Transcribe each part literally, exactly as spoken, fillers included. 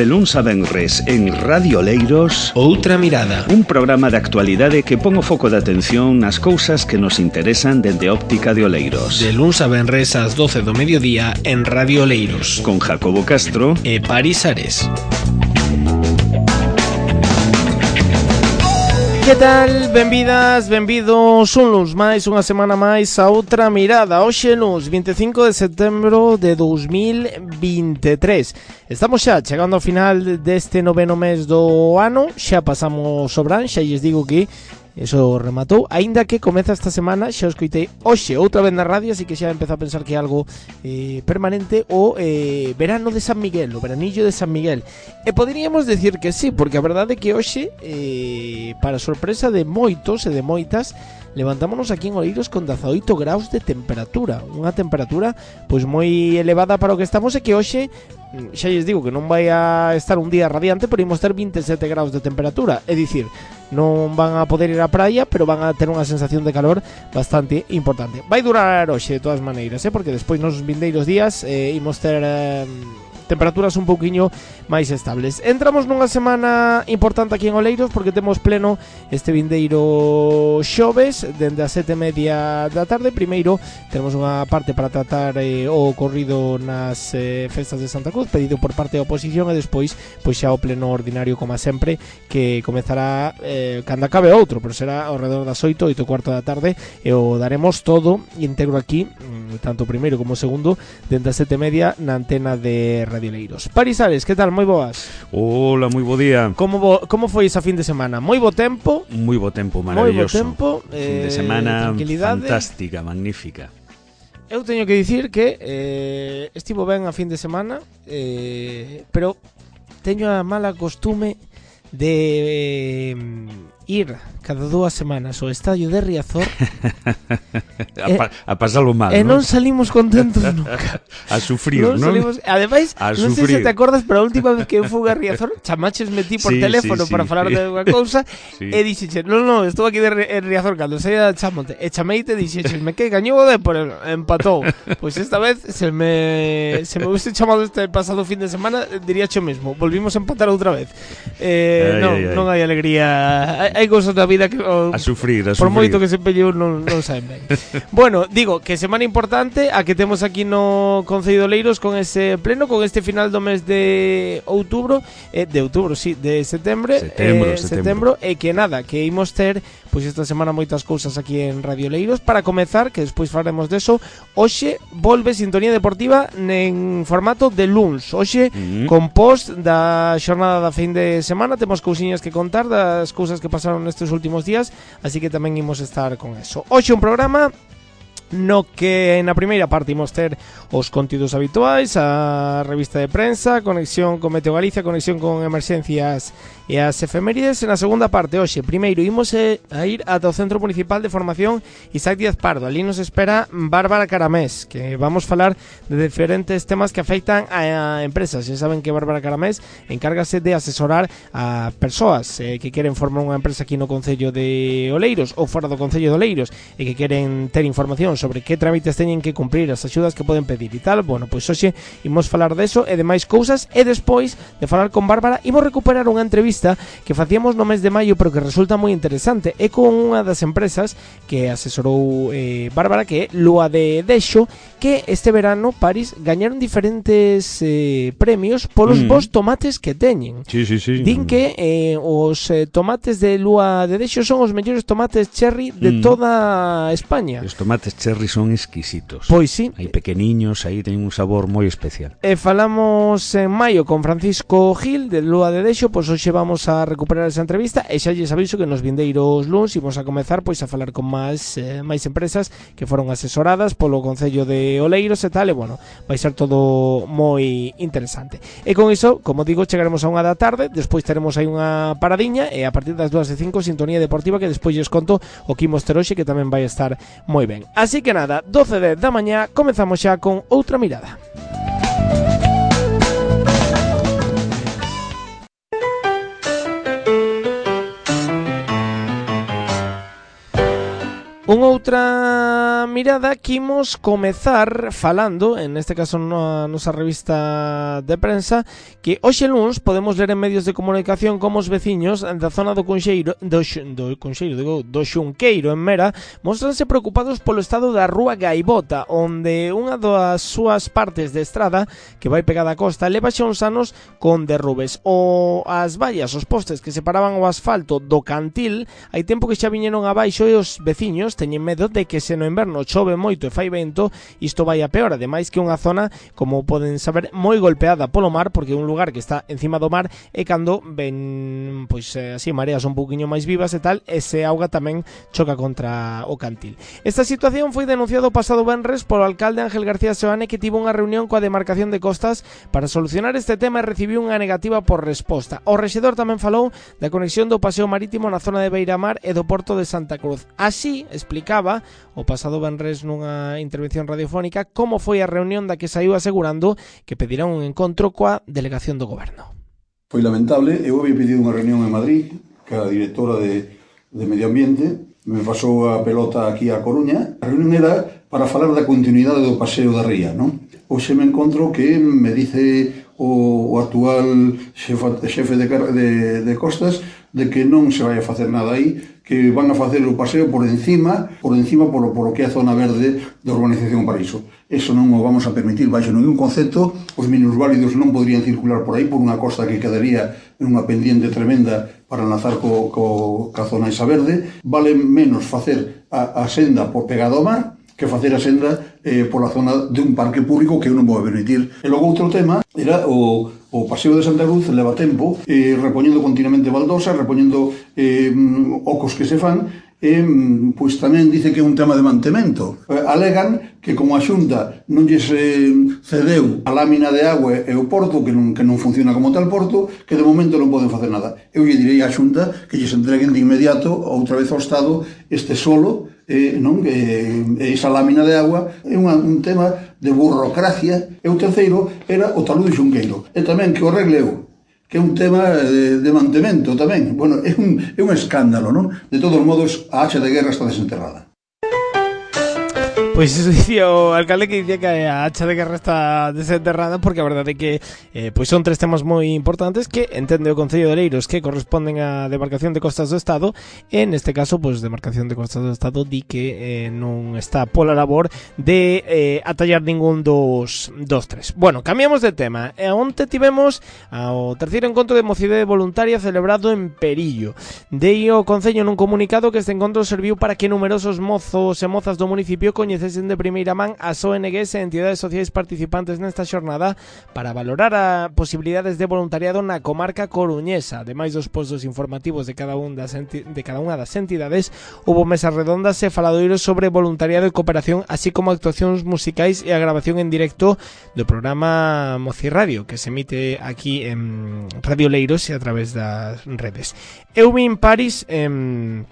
De luns a venres en Radio Oleiros, Outra Mirada, un programa de actualidade que pon o foco de atención nas cousas que nos interesan dende óptica de Oleiros. De luns a venres ás doce do mediodía en Radio Oleiros, con Jacobo Castro e Paris Ares. Que tal? Benvidas, benvidos un luns máis, unha semana máis a Outra Mirada. Hoxe luns, vinte e cinco de setembro de dous mil vinte e tres. Estamos xa chegando ao final deste noveno mes do ano. Xa pasamos o verán, xa lles digo que eso rematou, aínda que comeza esta semana. Xa o escoitei hoxe outra vez na radio, así que xa empezo a pensar que é algo eh, permanente. O eh, verano de San Miguel, o veranillo de San Miguel. E poderíamos decir que sí, porque a verdade é que hoxe eh, para sorpresa de moitos e de moitas, levantámonos aquí en Oleiros con dezaoito graus de temperatura. Unha temperatura pois moi elevada para o que estamos, e que hoxe xa lles digo que non vai a estar un día radiante, pero imos ter vinte e sete graus de temperatura. É dicir, non van a poder ir á praia, pero van a ter unha sensación de calor bastante importante. Vai durar hoxe de todas maneiras, eh? Porque despois nos vindeiros días eh, imos ter eh, temperaturas un pouquiño máis estables. Entramos nunha semana importante aquí en Oleiros, porque temos pleno este vindeiro xoves dende as sete e media da tarde. Primeiro temos unha parte para tratar eh, o ocorrido nas eh, festas de Santa Cruz, pedido por parte da oposición, e despois pois xa o pleno ordinario, como sempre, que comezará eh, cando acabe outro, pero será ao redor das oito, oito e cuarto da tarde, e o daremos todo íntegro aquí, tanto o primeiro como o segundo, dende as sete e media na antena de Radio Oleiros. Paris Ares, que tal? Moi boas. Hola, moi bo día. Como bo, como foi esa fin de semana? Moi bo tempo. Moi bo tempo, maravilloso. Moi bo tempo, fin de eh, semana tranquilidade. Fantástica, magnífica. Eu teño que dicir que eh, estivo ben a fin de semana, eh, pero teño a mala costume de eh, ir cada dúas semanas ao estadio de Riazor a, pa, a pasalo mal, e non? non salimos contentos nunca. A sufrir, non? non? Salimos, ademais, a non sufrir. sei se te acordas, pero a última vez que eu fui a Riazor, chamaches metí por sí, teléfono sí, para sí, falar sí. de unha cousa, sí. e dixeche, non, non, estou aquí de Riazor cando saía da chamonte, e chameite e dixeches, me que gañou o Depor, empatou. Pois esta vez se me se me hubiese chamado este pasado fin de semana, diría o mesmo, volvimos a empatar outra vez. Eh, ai, non, ai, ai. non hai alegría, hai, hai cousas da vida que o, a sufrir, a por sufrir. moito que se pelleu non, non saben ben. Bueno, digo que semana importante a que temos aquí no Concello de Oleiros, con ese pleno, con este final do mes de outubro, eh, de outubro, sí, de setembro, setembro, eh, setembro. setembro, e que nada, que imos ter pois esta semana moitas cousas aquí en Radio Oleiros. Para comezar, que despois falaremos deso, hoxe volve Sintonía Deportiva en formato de luns. Hoxe, Mm. con post da xornada da fin de semana, temos cousiñas que contar das cousas que pasaron nestes últimos días, así que tamén imos estar con eso. Hoxe un programa no que na primeira parte imos ter os contidos habituais, a revista de prensa, conexión con Meteo Galicia, conexión con emerxencias e as efemérides. En a segunda parte, hoxe, primeiro imos a ir ata o Centro Municipal de Formación Isaac Díaz Pardo. Ali nos espera Bárbara Caramés, que vamos falar de diferentes temas que afectan a empresas. Ya saben que Bárbara Caramés encárgase de asesorar a persoas eh, que queren formar unha empresa aquí no Concello de Oleiros ou fora do Concello de Oleiros, e que queren ter información sobre que trámites teñen que cumprir, as axudas que poden pedir e tal. Bueno, pois hoxe imos falar deso e de máis cousas, e despois de falar con Bárbara imos recuperar unha entrevista que facíamos no mes de maio, pero que resulta moi interesante. É con unha das empresas que asesorou eh, Bárbara, que é Lúa de Deixo, que este verano, Paris, gañaron diferentes eh, premios polos mm. bons tomates que teñen. Sí, sí, sí. Din que eh, os eh, tomates de Lúa de Deixo son os mellores tomates cherry de mm. toda España. Os tomates cherry son exquisitos. Pois sí. Hai pequeniños, aí teñen un sabor moi especial. E falamos en maio con Francisco Gil de Lúa de Deixo, pois hoxe vamos a recuperar esa entrevista, e xa lles aviso que nos vindeiros luns imos a comezar pois a falar con máis eh, máis empresas que foron asesoradas polo Concello de Oleiros e tal, e bueno, vai ser todo moi interesante. E con iso, como digo, chegaremos a unha da tarde, despois teremos aí unha paradiña, e a partir das dúas e cinco Sintonía Deportiva, que despois lles conto o que imos ter hoxe, que tamén vai estar moi ben. Así que nada, doce e dez da mañá, comezamos xa con Outra Mirada. Unha outra mirada que imos comezar falando, en este caso na nosa revista de prensa, que hoxe luns podemos ler en medios de comunicación como os veciños da zona do Conxeiro, do, do Conxeiro, digo, do Xunqueiro en Mera, mostranse preocupados polo estado da rúa Gaivota, onde unha das súas partes de estrada que vai pegada á costa leva xa uns anos con derrubes. O as vallas, os postes que separaban o asfalto do cantil, hai tempo que xa viñeron abaixo e os veciños teñen medo de que se no inverno chove moito e fai vento, isto vai a peor, ademais que unha zona, como poden saber, moi golpeada polo mar, porque é un lugar que está encima do mar e cando ven, pois así, mareas un pouquiño máis vivas e tal, ese auga tamén choca contra o cantil. Esta situación foi denunciado o pasado venres polo alcalde Ángel García Seoane, que tivo unha reunión coa demarcación de costas para solucionar este tema e recibiu unha negativa por resposta. O rexedor tamén falou da conexión do paseo marítimo na zona de Beiramar e do porto de Santa Cruz. Así, explicaba o pasado venres nunha intervención radiofónica como foi a reunión da que saiu asegurando que pedirán un encontro coa delegación do goberno. Foi lamentable, eu había pedido unha reunión en Madrid que a directora de, de Medio Ambiente me pasou a pelota aquí a Coruña. A reunión era para falar da continuidade do paseo da ría, non? Hoxe me encontro que me dice o, o actual xefe, xefe de, de, de costas de que non se vai a facer nada aí, que van a facer o paseo por encima, por encima polo, polo que é a zona verde da urbanización Paraíso. Eso non o vamos a permitir baixo ningún concepto. Os minusválidos non poderían circular por aí por unha costa que quedaría en unha pendiente tremenda para enlazar co, co, ca zona esa verde. Vale menos facer a, a senda por pegado ao mar que facer a senda eh, pola zona de un parque público que eu non vou permitir. E logo outro tema era o, o paseo de Santa Cruz, leva tempo, eh, repoñendo continuamente baldosas, repoñendo eh, ocos que se fan, e pois tamén dice que é un tema de mantemento. Eh, alegan que como a Xunta non lles eh, cedeu a lámina de agua e o porto, que non, que non funciona como tal porto, que de momento non poden facer nada. Eu lle direi á Xunta que lles entreguen de inmediato outra vez ao Estado este solo, eh, non? Que esa lámina de agua é unha, un tema de burocracia. E o terceiro era o talud de Xunqueiro. E tamén que o arregleu, que é un tema de, de mantemento tamén. Bueno, é un, é un escándalo, non? De todos modos, a hacha de guerra está desenterrada. Pois iso dicía o alcalde, que dicía que a hacha de guerra está desenterrada, porque a verdade é que eh, pois son tres temas moi importantes que entende o Concello de Oleiros que corresponden á demarcación de costas do Estado, e neste caso, pois, demarcación de costas do Estado di que eh, non está pola labor de eh, atallar ningún dos, dos tres. Bueno, cambiamos de tema. E onte tivemos ao terceiro encontro de mocidade voluntaria celebrado en Perillo. Dei o Concello nun comunicado que este encontro serviu para que numerosos mozos e mozas do municipio coñecesen de primeira man as O N Gs e entidades sociais participantes nesta xornada para valorar a posibilidades de voluntariado na comarca coruñesa. Ademais dos postos informativos de cada, un das enti- de cada unha das entidades, hubo mesas redondas e faladoiros sobre voluntariado e cooperación, así como actuacións musicais e a grabación en directo do programa Mocirradio, que se emite aquí en Radio Oleiros e a través das redes. Eu vin París en...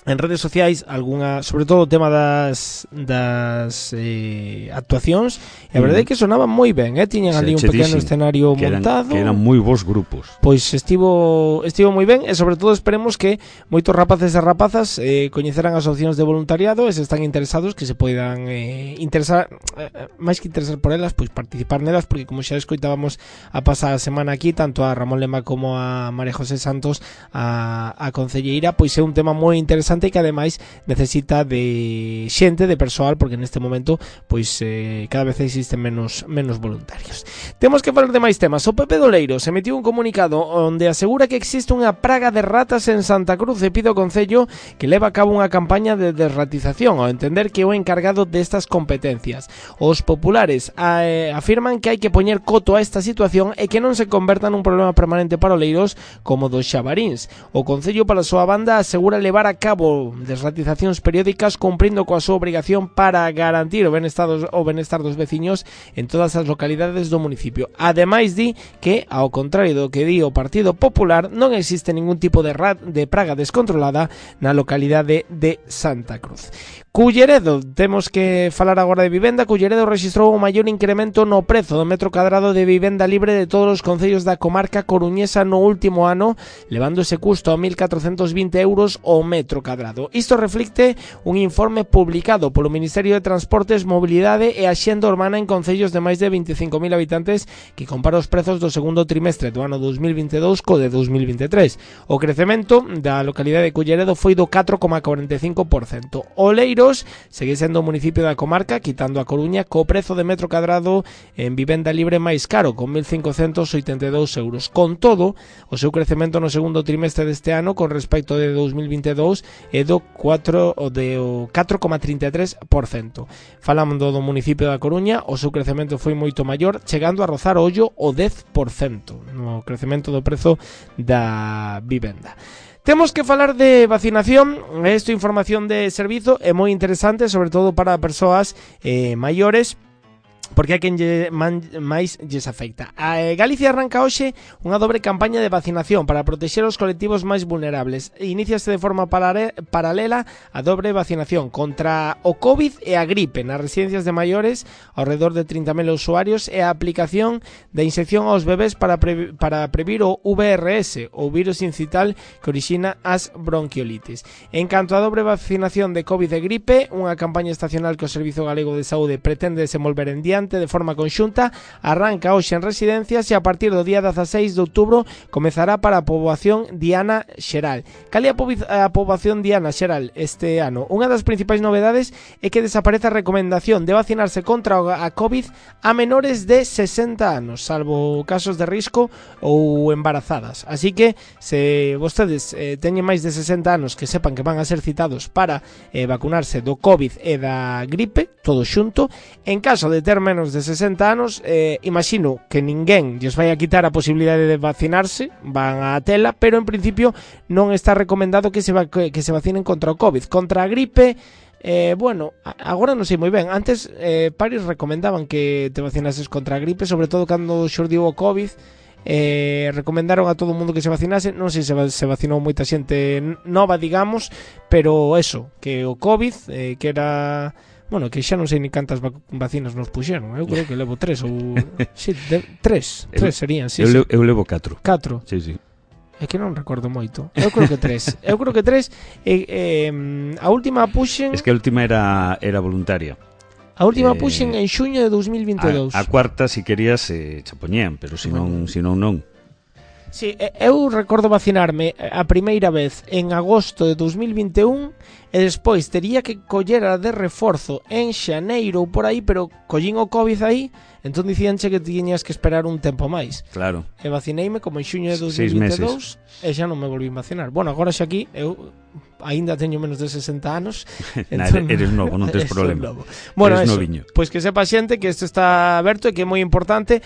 en redes sociais algunha, sobre todo o tema das das eh, actuacións, e a verdade é que sonaban moi ben, eh? Tiñan ali un pequeno escenario que eran, montado, que eran moi bons grupos. Pois estivo estivo moi ben, e sobre todo esperemos que moitos rapaces e rapazas eh, coñeceran as opcións de voluntariado, e se están interesados que se poidan eh, interesar, eh, máis que interesar por elas, pois participar nelas, porque como xa escoitábamos a pasada semana aquí, tanto a Ramón Lema como a María José Santos, a, a concelleira, pois é un tema moi interesante e que ademais necesita de xente, de persoal, porque neste momento pois eh, cada vez existen menos menos voluntarios. Temos que falar de máis temas. O P P de Oleiros emitiu un comunicado onde asegura que existe unha praga de ratas en Santa Cruz e pide ao Concello que leva a cabo unha campaña de desratización, ao entender que é o encargado destas competencias. Os populares eh, afirman que hai que poñer coto a esta situación e que non se converta nun problema permanente para Oleiros como dos xabaríns. O Concello, pola súa banda, asegura levar a cabo desratizacións periódicas cumprindo coa súa obrigación para garantir o benestar dos, o benestar dos veciños en todas as localidades do municipio. Ademais, di que, ao contrario do que di o Partido Popular, non existe ningún tipo de, rat, de praga descontrolada na localidade de Santa Cruz. Culleredo, temos que falar agora de vivenda. Culleredo rexistrou o maior incremento no prezo do metro cadrado de vivenda libre de todos os concellos da comarca coruñesa no último ano, levando ese custo a mil catrocentos vinte euros o metro cadrado. Isto reflicte un informe publicado polo Ministerio de Transportes, Mobilidade e Axenda Urbana en concellos de máis de veinticinco mil habitantes que compara os prezos do segundo trimestre do ano dos mil vinte e dous co de dos mil vinte e tres. O crecemento da localidade de Culleredo foi do catro coma cuarenta e cinco por cento. Oleiro segue sendo o municipio da comarca, quitando a Coruña, co prezo de metro cadrado en vivenda libre máis caro, con mil cincocentos oitenta e dous euros. Con todo, o seu crecemento no segundo trimestre deste ano con respecto de dos mil vinte e dous é do catro coma trinta e tres por cento. Falando do municipio da Coruña, o seu crecemento foi moito maior, chegando a rozar ollo o dez por cento no crecemento do prezo da vivenda. Temos que falar de vacinación. Esta información de servizo é moi interesante, sobre todo para persoas eh, maiores, porque a quen lle, man, máis lles afecta. A Galicia arranca hoxe unha dobre campaña de vacinación para protexer os colectivos máis vulnerables. Iníciase de forma parare, paralela a dobre vacinación contra o COVID e a gripe nas residencias de maiores, ao redor de trinta mil usuarios, e a aplicación de inyección aos bebés para, pre, para previr o V R S, o virus incital que orixina as bronquiolitis. En canto a dobre vacinación de COVID e gripe, unha campaña estacional que o Servizo Galego de Saúde pretende desenvolver en diante de forma conxunta, arranca hoxe en residencias e a partir do día dezaseis de outubro comezará para a poboación diana xeral. Cal é a poboación diana xeral este ano? Unha das principais novedades é que desaparece a recomendación de vacinarse contra a COVID a menores de sesenta anos, salvo casos de risco ou embarazadas. Así que, se vostedes eh, teñen máis de sesenta anos, que sepan que van a ser citados para eh, vacunarse do COVID e da gripe, todo xunto. En caso de ter menos de sesenta anos, eh, imagino que ninguén lles vai a quitar a posibilidade de vacinarse, van a tela, pero en principio non está recomendado que se, va, que, que se vacinen contra o COVID. Contra a gripe, eh, bueno, agora non sei moi ben. Antes, eh, pares recomendaban que te vacinases contra a gripe, sobre todo cando xurdiu o COVID. Eh, recomendaron a todo o mundo que se vacinase. Non sei se se vacinou moita xente nova, digamos, pero eso, que o COVID, eh, que era... Bueno, que xa non sei ni cantas vac- vacinas nos puxeron. Eu creo que levo tres ou... Sí, de, tres, tres serían, sí, eu, sí. Le, eu levo catro. Catro. Sí, sí. É que non recordo moito. Eu creo que tres. Eu creo que tres. E, eh, a última puxen... Es que a última era, era voluntaria. A última eh, puxen en xuño de dos mil vinte e dous. A, a cuarta, si querías, eh, xa poñían, pero si non, si non, non. Sí, eu recordo vacinarme a primeira vez en agosto de dos mil vinte e un e despois tería que coller a de reforzo en xaneiro ou por aí, pero collín o COVID aí, entón dicíanche que tiñas que esperar un tempo máis. Claro. E vacineime como en xuño de dos Seis mil vinte e dous meses. e xa non me volvín vacinar. Bueno, agora xa aquí eu aínda teño menos de sesenta anos. Nah, entón, eres novo, non tes problema. Bueno, eres eso, noviño. pois que sepa xente que isto está aberto e que é moi importante,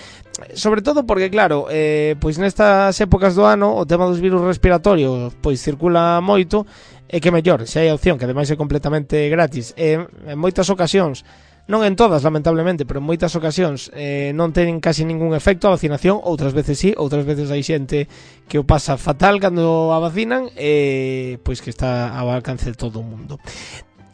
sobre todo porque claro, eh, pois nestas épocas do ano o tema dos virus respiratorios pois circula moito, e que mellor, se hai opción, que ademais é completamente gratis, e en moitas ocasións, non en todas lamentablemente, pero en moitas ocasións eh, non ten casi ningún efecto a vacinación, outras veces sí, outras veces hai xente que o pasa fatal cando a vacinan, e pois que está ao alcance de todo o mundo.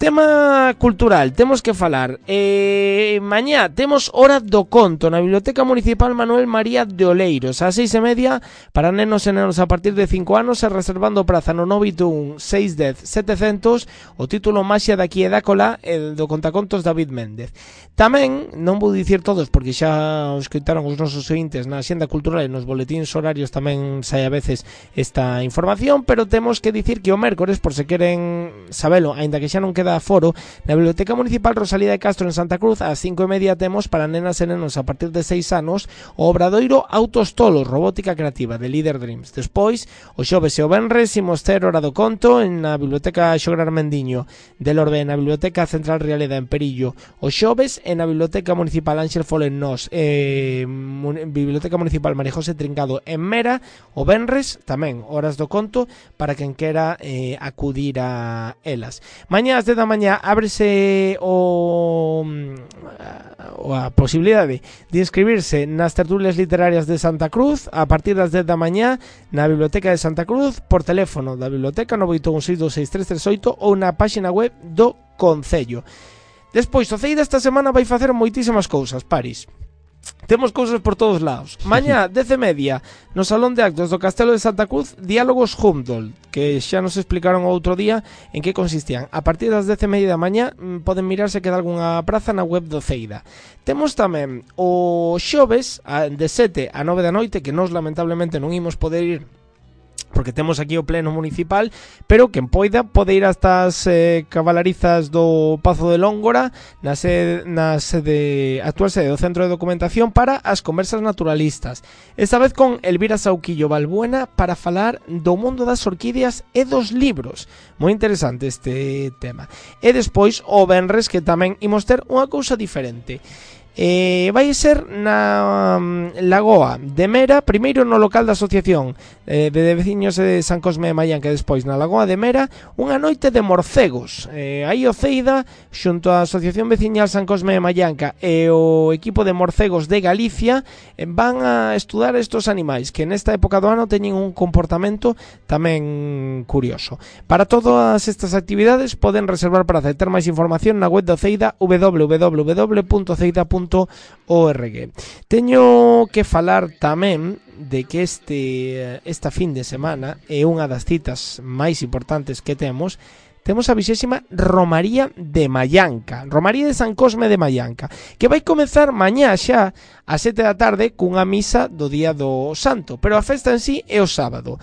Tema cultural, temos que falar. Eh, mañá temos Hora do Conto na Biblioteca Municipal Manuel María de Oleiros, ás seis e media, para nenos e nenos a partir de cinco anos, e reservando praza no nove oito un, seis dez, setecentos, o título Maxia daqui e dácola, el do contacontos David Méndez. Tamén, non vou dicir todos, porque xa os escoitaron os nosos ointes na Axenda Cultural e nos boletíns horarios tamén sai a veces esta información, pero temos que dicir que o mércores, por se queren sabelo, aínda que xa non queda aforo, na Biblioteca Municipal Rosalía de Castro en Santa Cruz, ás cinco e media temos para nenas e nenos a partir de seis anos o obradoiro Autos Tolos, robótica creativa de Leader Dreams. Despois, o xoves e o venres imos ter Hora do Conto en na Biblioteca Xograr Mendiño de Lorbe, na Biblioteca Central Realeda en Perillo, o xoves en na Biblioteca Municipal Ángel Folen Nos, eh, Biblioteca Municipal María José Trincado en Mera, o venres tamén Horas do Conto para quen quera eh, acudir a elas. Mañá ás dez da mañá ábrese o, o a posibilidade de inscribirse nas tertulias literarias de Santa Cruz a partir das dez da mañá na Biblioteca de Santa Cruz, por teléfono da biblioteca nove oito un seis dos seis tres tres oito ou na páxina web do concello. Despois, o Ceida esta semana vai facer moitísimas cousas, Paris. Temos cousas por todos lados. Mañá, dez e media, no Salón de Actos do Castelo de Santa Cruz, Diálogos Humboldt, que xa nos explicaron outro día en que consistían. A partir das dez e media da mañá poden mirar se queda algunha praza na web do Ceida. Temos tamén o xoves de sete a nove da noite, que nós lamentablemente non imos poder ir porque temos aquí o pleno municipal, pero quen poida pode ir hasta as eh, cabalarizas do Pazo de Lóngora, na sede, na sede, actual sede do Centro de Documentación para as conversas naturalistas. Esta vez con Elvira Sauquillo Balbuena para falar do mundo das orquídeas e dos libros. Moi interesante este tema. E despois, o venres, que tamén imos ter unha cousa diferente. Eh, vai ser na um, Lagoa de Mera, primeiro no local da Asociación eh, de Veciños de San Cosme de Mallanca, e despois na Lagoa de Mera unha noite de morcegos. eh, aí o Ceida xunto á Asociación Veciñal San Cosme de Mallanca e o equipo de morcegos de Galicia eh, van a estudar estos animais que nesta época do ano teñen un comportamento tamén curioso. Para todas estas actividades poden reservar para ter máis información na web do Ceida, w w w punto ceida punto org. Teño que falar tamén de que este esta fin de semana é unha das citas máis importantes que temos. Temos a vixésima Romaría de Mallanca, Romaría de San Cosme de Mallanca, que vai comezar mañá xa a sete da tarde cunha misa do Día do Santo, pero a festa en sí é o sábado.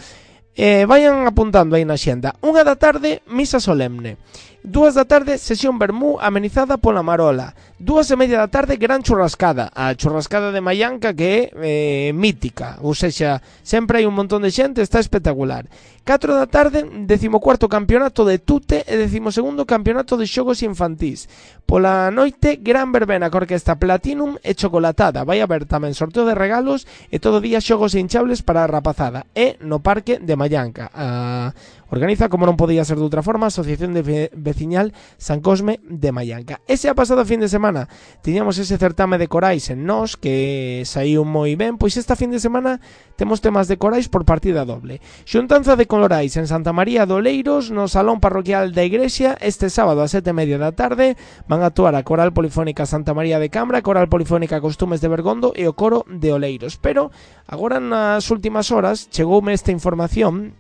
Eh, vayan apuntando aí na xenda. Unha da tarde, misa solemne. Dúas da tarde, sesión vermú amenizada pola Marola. Dúas e media da tarde, gran churrascada. A churrascada de Mallanca que é eh, mítica. Ou sexa, sempre hai un montón de xente, está espectacular. catro da tarde, decimocuarto campeonato de tute e decimosegundo campeonato de xogos infantís. Pola noite, gran verbena con orquesta Platinum e chocolatada. Vai haber tamén sorteo de regalos e todo día xogos hinchables para a rapazada. E no parque de Mallanca. A... Organiza, como non podía ser de outra forma, a Asociación de Veciñal San Cosme de Mallanca. Ese a pasado fin de semana tiñamos ese certame de corais en Nós, que saiu moi ben, pois esta fin de semana temos temas de corais por partida doble. Xuntanza de colorais en Santa María de Oleiros, no Salón Parroquial da Igrexa, este sábado a sete e media da tarde, van a actuar a Coral Polifónica Santa María de Cambra, Coral Polifónica Costumes de Bergondo e o Coro de Oleiros. Pero, agora nas últimas horas, chegoume esta información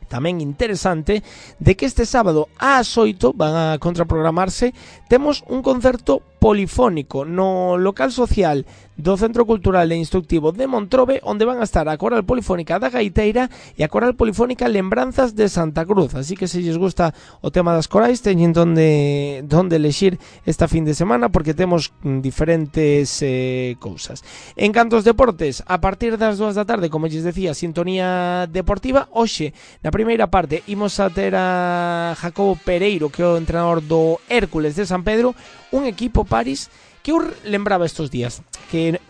tamén interesante de que este sábado ás oito van a contraprogramarse, temos un concerto polifónico no local social do Centro Cultural e Instructivo de Montrobe, onde van a estar a Coral Polifónica da Gaiteira e a Coral Polifónica Lembranzas de Santa Cruz. Así que se lles gusta o tema das corais, teñen donde, donde elexir esta fin de semana, porque temos diferentes eh, cousas. En canto aos deportes, a partir das dúas da tarde, como lles decía, sintonía deportiva. Hoxe, na primeira parte, imos a ter a Jacobo Pereiro, que é o entrenador do Hércules de San Pedro, un equipo, Paris, que eu lembraba estos días que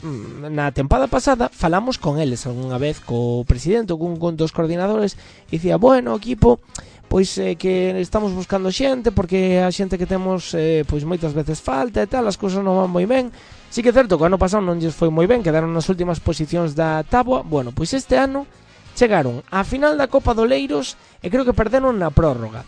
na tempada pasada falamos con eles algunha vez, co presidente ou con dos coordinadores, e dicía, bueno, equipo, pois eh, que estamos buscando xente, porque a xente que temos eh, pois moitas veces falta e tal, as cousas non van moi ben. Sí que é certo que o ano pasado non lles foi moi ben, quedaron nas últimas posicións da táboa. Bueno, pois este ano chegaron á final da Copa do Oleiros e creo que perderon na prórroga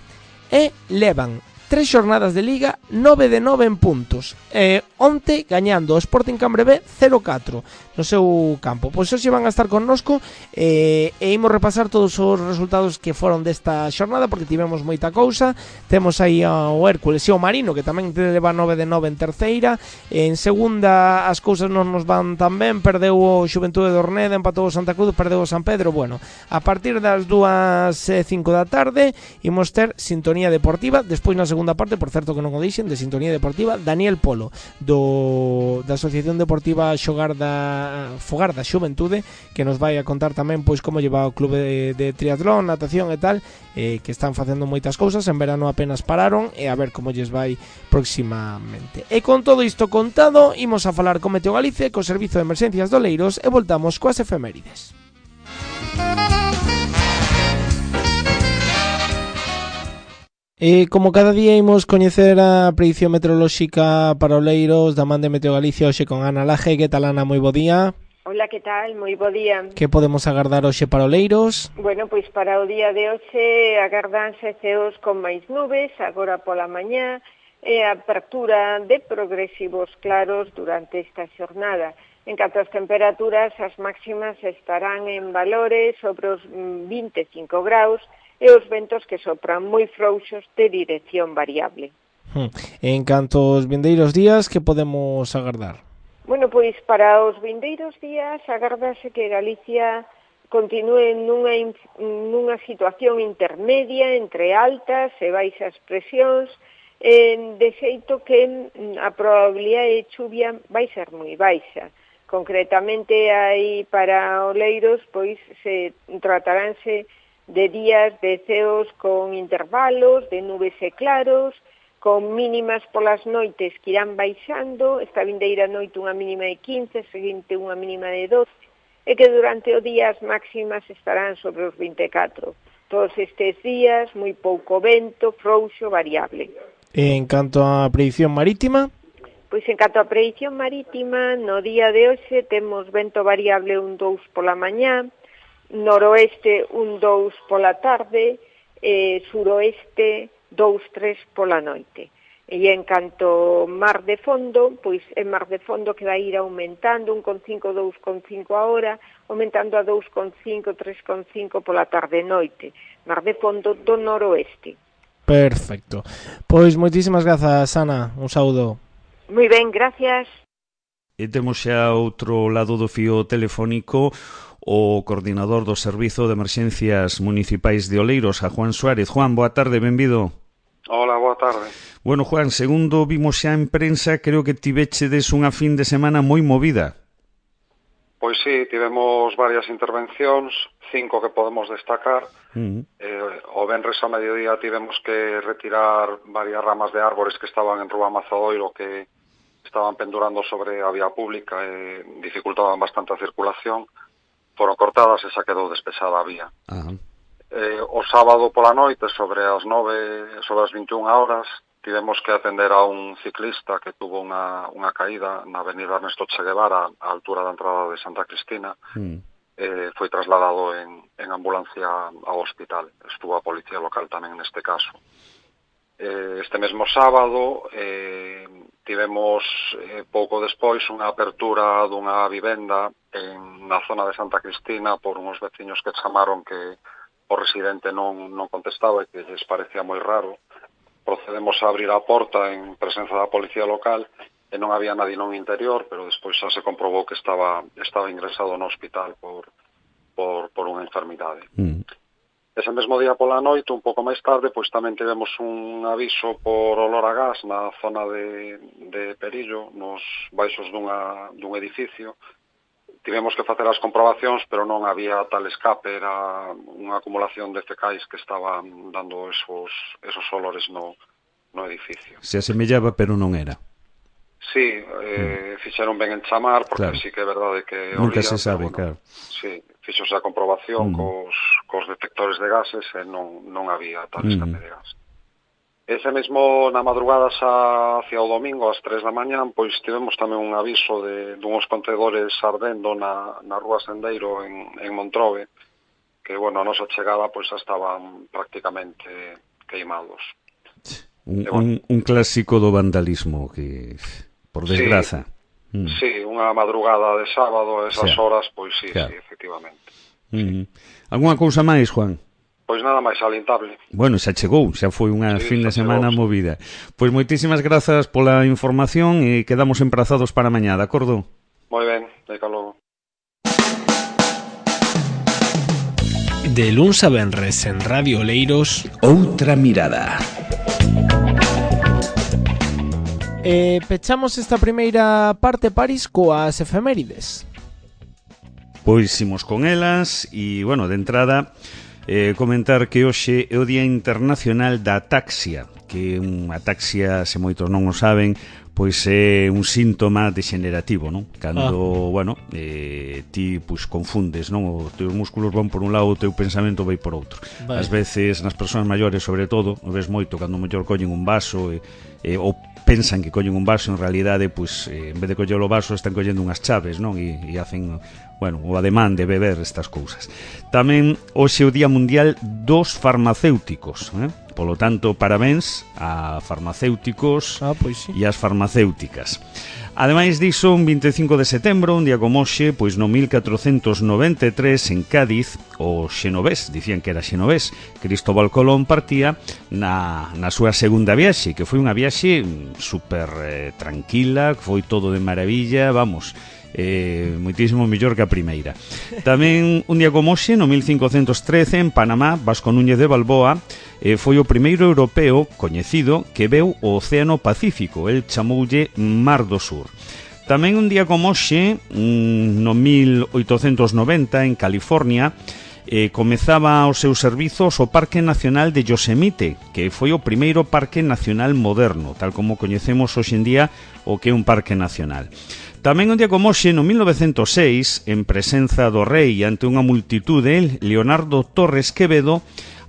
e levan tres xornadas de Liga, nove de nove en puntos. E onte gañando o Sporting Cambre B cero catro no seu campo. Pois hoxe van a estar connosco e, e imos repasar todos os resultados que foron desta xornada, porque tivemos moita cousa. Temos aí ao Hércules e ao Marino, que tamén leva nove de nove en terceira. En segunda as cousas non nos van tan ben. Perdeu o Xuventude de Orneda, empatou o Santa Cruz, perdeu o San Pedro. Bueno, a partir das dúas e cinco da tarde imos ter sintonía deportiva. Despois na segunda parte, por certo que non o dixen, de sintonía deportiva, Daniel Polo do da Asociación Deportiva Xogar da Fogar da Xuventude, que nos vai a contar tamén pois como lleva o clube de, de triatlón, natación e tal, eh, que están facendo moitas cousas. En verano apenas pararon e a ver como lles vai próximamente. E con todo isto contado, imos a falar con Meteo Galicia, co Servizo de Emerxencias de Oleiros, e voltamos coas efemérides. E como cada día imos coñecer a predición meteorolóxica para Oleiros da man de Meteo Galicia hoxe con Ana Laje. Que tal, Ana? Moi bo día. Hola, que tal? Moi bo día. Que podemos agardar hoxe para Oleiros? Bueno, pois para o día de hoxe agardanse ceos con máis nubes, agora pola mañá, e a apertura de progresivos claros durante esta xornada. En canto ás temperaturas, as máximas estarán en valores sobre os vinte e cinco graus e os ventos que sopran moi frouxos de dirección variable. En canto aos vindeiros días, que podemos agardar? Bueno, pois para os vindeiros días agardase que Galicia continúe nunha, nunha situación intermedia entre altas e baixas presións, eh, de xeito que a probabilidade de chuvia vai ser moi baixa. Concretamente, aí para oleiros, pois se trataránse de días de ceos con intervalos, de nubes e claros, con mínimas polas noites que irán baixando, esta vindeira noite unha mínima de quince, seguinte unha mínima de doce, e que durante o día as máximas estarán sobre os vinte e catro. Todos estes días, moi pouco vento, frouxo, variable. En canto á predición marítima? Pois en canto á predición marítima, no día de hoxe temos vento variable un dous pola mañá, noroeste un dous pola tarde, e suroeste dous tres pola noite. E en canto mar de fondo, pois en mar de fondo que vai ir aumentando un coma cinco, dous coma cinco a hora, aumentando a dous coma cinco, tres coma cinco pola tarde e noite. Mar de fondo do noroeste. Perfecto. Pois moitísimas grazas, Ana. Un saúdo. Moi ben, gracias. E temos xa outro lado do fío telefónico o coordinador do Servizo de Emerxencias Municipais de Oleiros, a Juan Suárez. Juan, boa tarde, benvido. Hola, boa tarde. Bueno, Juan, segundo vimos xa en prensa, creo que tivechedes unha fin de semana moi movida. Pois sí, tivemos varias intervencións, cinco que podemos destacar. Uh-huh. eh, o venres a mediodía tivemos que retirar varias ramas de árbores que estaban en Rúa Mazadoiro, que estaban pendurando sobre a vía pública e dificultaban bastante a circulación. Foron cortadas e xa quedou despexada a vía. Uh-huh. Eh, o sábado pola noite, sobre as nove, sobre as vinte e unha horas, tivemos que atender a un ciclista que tuvo unha, unha caída na avenida Ernesto Che Guevara, a altura da entrada de Santa Cristina. Mm. Eh, foi trasladado en, en ambulancia ao hospital. Estuvo a policía local tamén neste caso. Eh, este mesmo sábado eh, tivemos eh, pouco despois unha apertura dunha vivenda en, na zona de Santa Cristina por uns veciños que chamaron que o residente non, non contestaba e que lles parecía moi raro. Procedemos a abrir a porta en presenza da policía local e non había nadie no interior, pero despois xa se comprobou que estaba estaba ingresado no hospital por, por, por unha enfermidade. Mm. Ese mesmo día pola noite, un pouco máis tarde, pois tamén tivemos un aviso por olor a gas na zona de, de Perillo, nos baixos dunha, dun edificio. Tivemos que facer as comprobacións, pero non había tal escape, era unha acumulación de fecais que estaban dando esos, esos olores no, no edificio. Se asemellaba, pero non era. Sí, eh, mm. fixeron ben en chamar, porque claro. Sí que é verdade que nunca olía, se sabe, bueno, claro. Sí, fixose a comprobación mm. cos, cos detectores de gases e non, non había tal escape mm. de gas. Ese mesmo, na madrugada xa hacia o domingo, ás tres da mañán, pois tivemos tamén un aviso de, de uns contedores ardendo na, na Rúa Sendeiro en, en Montrobe, que, bueno, a nosa chegada, pois xa estaban prácticamente queimados. Un, bueno, un, un clásico do vandalismo, que, por desgraza. Sí, mm. sí, unha madrugada de sábado, esas sí. horas, pois sí, claro. Sí, efectivamente. Mm. Alguna cousa máis, Juan? Pois nada máis salientable. Bueno, xa chegou, xa foi unha sí, fin de semana chegou. Movida. Pois moitísimas grazas pola información e quedamos emprazados para mañá, de acordo? Moi ben, deca logo. De luns a venres en Radio Oleiros, Outra Mirada. E pechamos esta primeira parte, Paris, coas efemérides. Pois imos con elas e, bueno, de entrada... Eh, comentar que hoxe é o Día Internacional da Ataxia, que unha ataxia, se moitos non o saben, pois é un síntoma degenerativo, non? Cando, ah. bueno, eh, ti pois confundes, non? Os teus músculos van por un lado, o teu pensamento vai por outro. Vale. Ás veces, nas persoas maiores, sobre todo, o ves moito cando mellor collen un vaso e, e, ou pensan que collen un vaso, en realidade, pois, eh, en vez de coller o vaso, están collendo unhas chaves, non? E, e hacen... bueno, o ademán de beber estas cousas. Tamén hoxe é o Día Mundial dos Farmacéuticos, eh? Polo tanto, parabéns a farmacéuticos ah, pois sí. e as farmacéuticas. Ademais diso, un vinte e cinco de setembro, un día como hoxe, pois no mil catrocentos noventa e tres en Cádiz, o xenovés, dicían que era xenovés, Cristóbal Colón partía na, na súa segunda viaxe, que foi unha viaxe super eh, tranquila, que foi todo de maravilla, vamos, eh, moitísimo mellor que a primeira. Tamén un día como hoxe, no mil cincocentos trece, en Panamá, Vasco Núñez de Balboa eh, foi o primeiro europeo coñecido que veu o Océano Pacífico, el chamoulle Mar do Sur. Tamén un día como hoxe, no mil oitocentos noventa, en California, eh, comezaba os seus servizos o Parque Nacional de Yosemite, que foi o primeiro parque nacional moderno, tal como coñecemos hoxe en día o que é un parque nacional. Tamén un día como hoxe, no mil novecentos seis, en presenza do rei ante unha multitude, Leonardo Torres Quevedo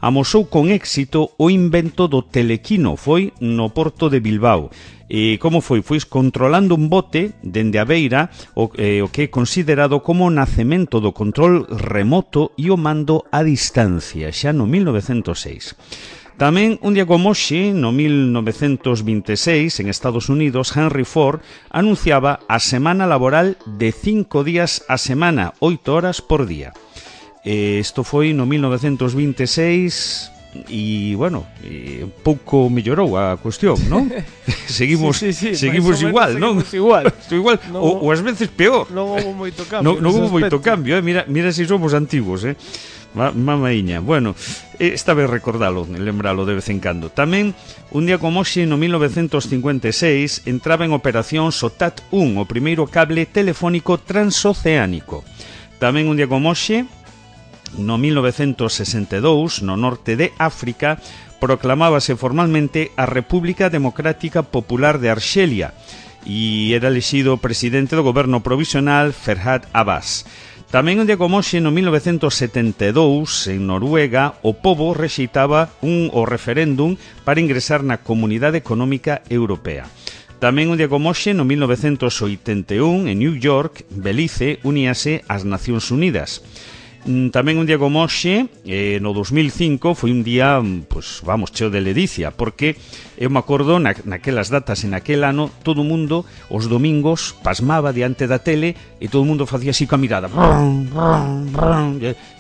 amosou con éxito o invento do telequino, foi no porto de Bilbao. E como foi? Foi controlando un bote dende a beira, o, eh, o que é considerado como o nacemento do control remoto e o mando a distancia, xa no mil novecentos seis. Tamén, un día como hoxe, no mil novecentos vinte e seis, en Estados Unidos, Henry Ford anunciaba a semana laboral de cinco días a semana, oito horas por día. Eh, isto foi no mil novecentos vinte e seis e, bueno, eh, un pouco mellorou a cuestión, non? seguimos sí, sí, sí, seguimos igual, non? Seguimos igual, igual no, ou, ou ás veces peor. Non houve moito cambio. Non no houve moito cambio, eh? Mira, mira se si somos antigos, eh? Mamaíña. Bueno, esta vez recordalo, lembralo de vez en cando. Tamén, un día como hoxe, no mil novecentos cincuenta e seis, entraba en operación SOTAT un, o primeiro cable telefónico transoceánico. Tamén un día como hoxe, no mil novecentos sesenta e dous, no norte de África, proclamábase formalmente a República Democrática Popular de Arxelia e era elexido presidente do goberno provisional Ferhat Abbas. Tamén un día como hoxe, no mil novecentos setenta e dous, en Noruega, o pobo rexeitaba un o referéndum para ingresar na Comunidade Económica Europea. Tamén un día como hoxe, no mil novecentos oitenta e un, en New York, Belize uníase ás Nacións Unidas. Tamén un día como hoxe, eh, no dos mil cinco, foi un día, pues, vamos, cheo de ledicia, porque eu me acordo na, naquelas datas, en aquel ano, todo o mundo, os domingos, pasmaba diante da tele e todo o mundo facía así coa mirada.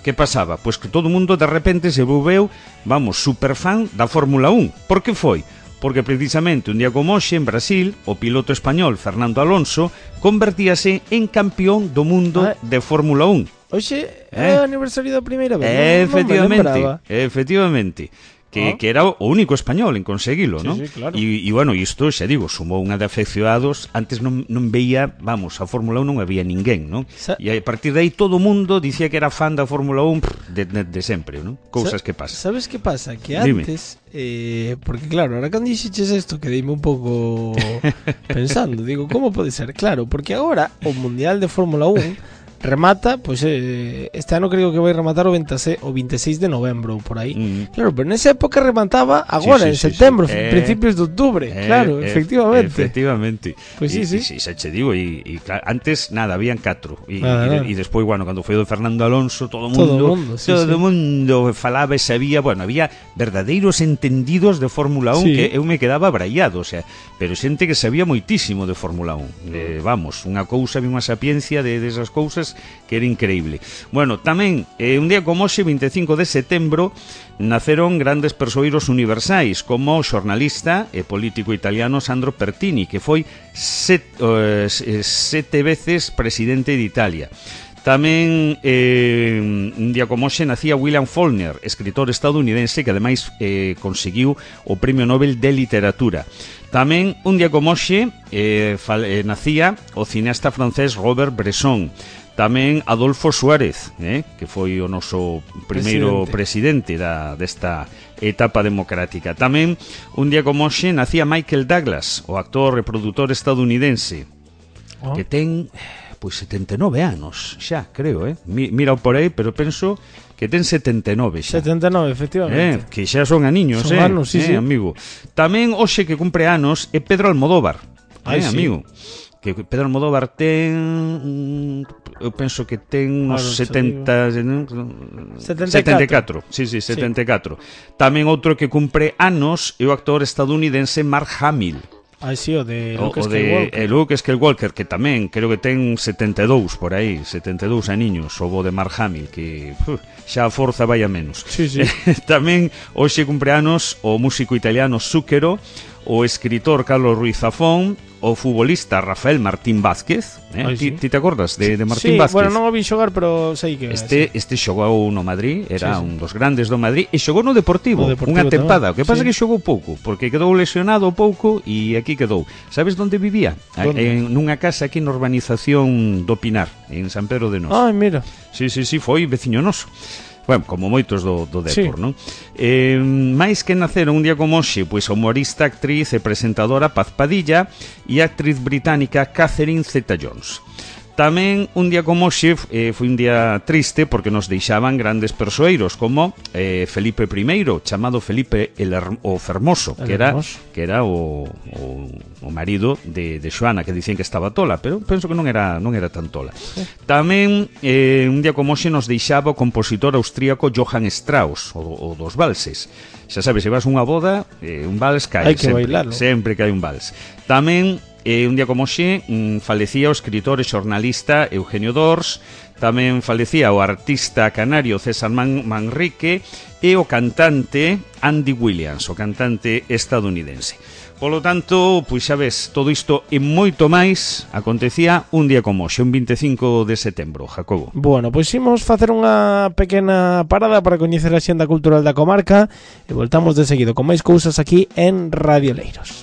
Que pasaba? Pois que todo o mundo de repente se volveu, vamos, superfan da Fórmula un. Por que foi? Porque precisamente un día como hoxe, en Brasil, o piloto español Fernando Alonso convertíase en campeón do mundo de Fórmula un. Oxe, é o aniversario da primeira vez. Eh, non, efectivamente, non efectivamente. Que, ah. que era o único español en conseguilo, sí, non? Sí, claro. E, e, bueno, isto, xa digo, sumou unha de afeccionados. Antes non, non veía, vamos, a Fórmula un non había ninguén, non? Sa e a partir de aí todo o mundo dicía que era fan da Fórmula un de, de, de sempre, non? Cousas Sa que pasan. Sabes que pasa? Que antes, eh, porque claro, ahora cando dixeches isto quedeime un pouco pensando, digo, como pode ser? Claro, porque agora o Mundial de Fórmula un remata, pois pues, eh, este ano creo que vai rematar o, veintiséis, o veintiséis de novembro por aí. Mm. Claro, pero nesa época remataba agora, sí, sí, en setembro, sí, sí. Eh, principios de outubro. Eh, claro, eh, efectivamente. Efectivamente. Pois pues sí, sí. sí. xa che digo, e, e claro, antes nada, habían catro. E, e, e despois, bueno, cando foi do Fernando Alonso, todo o mundo, todo o mundo, sí, todo sí. mundo falaba e sabía, bueno, había verdadeiros entendidos de Fórmula un, sí. que eu me quedaba abraiado, o sea, pero xente que sabía moitísimo de Fórmula un. Eh, vamos, unha cousa, unha sapiencia de desas de cousas que era increíble. Bueno, tamén, eh, un día como hoxe, vinte e cinco de setembro, naceron grandes persoeiros universais, como o xornalista e político italiano Sandro Pertini, que foi set, uh, sete veces presidente de Italia. Tamén, eh, un día como hoxe, nacía William Faulkner, escritor estadounidense que ademais eh, conseguiu o Premio Nobel de Literatura. Tamén, un día como hoxe, eh, eh, nacía o cineasta francés Robert Bresson. Tamén Adolfo Suárez, eh, que foi o noso primeiro presidente, presidente da, desta etapa democrática. Tamén, un día como hoxe, nacía Michael Douglas, o actor e produtor estadounidense, oh. que ten, pois, setenta e nove anos, xa, creo, eh? Mira por aí, pero penso que ten setenta e nove xa. setenta e nove, efectivamente. Eh, que xa son aniños, son eh, anos, sí, eh, sí. amigo. Tamén hoxe que cumpre anos é Pedro Almodóvar, eh, Ay, sí. amigo. Que Pedro Almodóvar ten eu penso que ten uns Claro, setenta setenta e catro. Sí, sí, setenta e catro. Sí. Tamén outro que cumpre anos é o actor estadounidense Mark Hamill. Ah, sí, o de o, Luke o Skywalker. de Luke Skywalker, que tamén creo que ten setenta e dous por aí, setenta e dous aniños, o bo de Mark Hamill, que uf, xa a forza vai a menos. Sí, sí. Tamén hoxe cumpre anos o músico italiano Zucchero, o escritor Carlos Ruiz Zafón, o futbolista Rafael Martín Vázquez, eh? Ai, ti, sí. ti te acordas de, de Martín sí, Vázquez? Bueno, non o vi xogar, pero sei que Este, sí. este xogou no Madrid, era sí, sí. un dos grandes do Madrid, e xogou no Deportivo, No Deportivo unha tempada. tamén. O que pasa Sí. que xogou pouco, porque quedou lesionado pouco e aquí quedou. Sabes onde vivía? ¿Dónde? En nunha casa aquí na urbanización do Pinar, en San Pedro de Nos. Ai, mira. Sí, sí, sí, foi veciño noso. Bueno, como moitos do, do Depor, Sí. non? Eh, máis que naceron un día como hoxe, pois a humorista, actriz e presentadora Paz Padilla e a actriz británica Catherine Zeta-Jones. Tamén un día como hoxe eh, foi un día triste porque nos deixaban grandes persoeiros como eh, Felipe primeiro, chamado Felipe el Her o Fermoso, el que era Hermoso. que era o, o, o marido de, de Xoana, que dicían que estaba tola, pero penso que non era non era tan tola. Sí. Tamén eh, un día como hoxe nos deixaba o compositor austríaco Johann Strauss, o, o dos valses. Xa sabes, se vas a unha boda, eh, un vals cae hai que sempre, bailarlo. sempre que hai un vals. Tamén E un día como hoxe mm, falecía o escritor e xornalista Eugenio Dors, tamén falecía o artista canario César Man Manrique e o cantante Andy Williams, o cantante estadounidense. Polo tanto, pois xa ves, todo isto e moito máis acontecía un día como hoxe, un veinticinco de setembro, Jacobo. Bueno, pois imos facer unha pequena parada para coñecer a xenda cultural da comarca e voltamos de seguido con máis cousas aquí en Radio Leiros.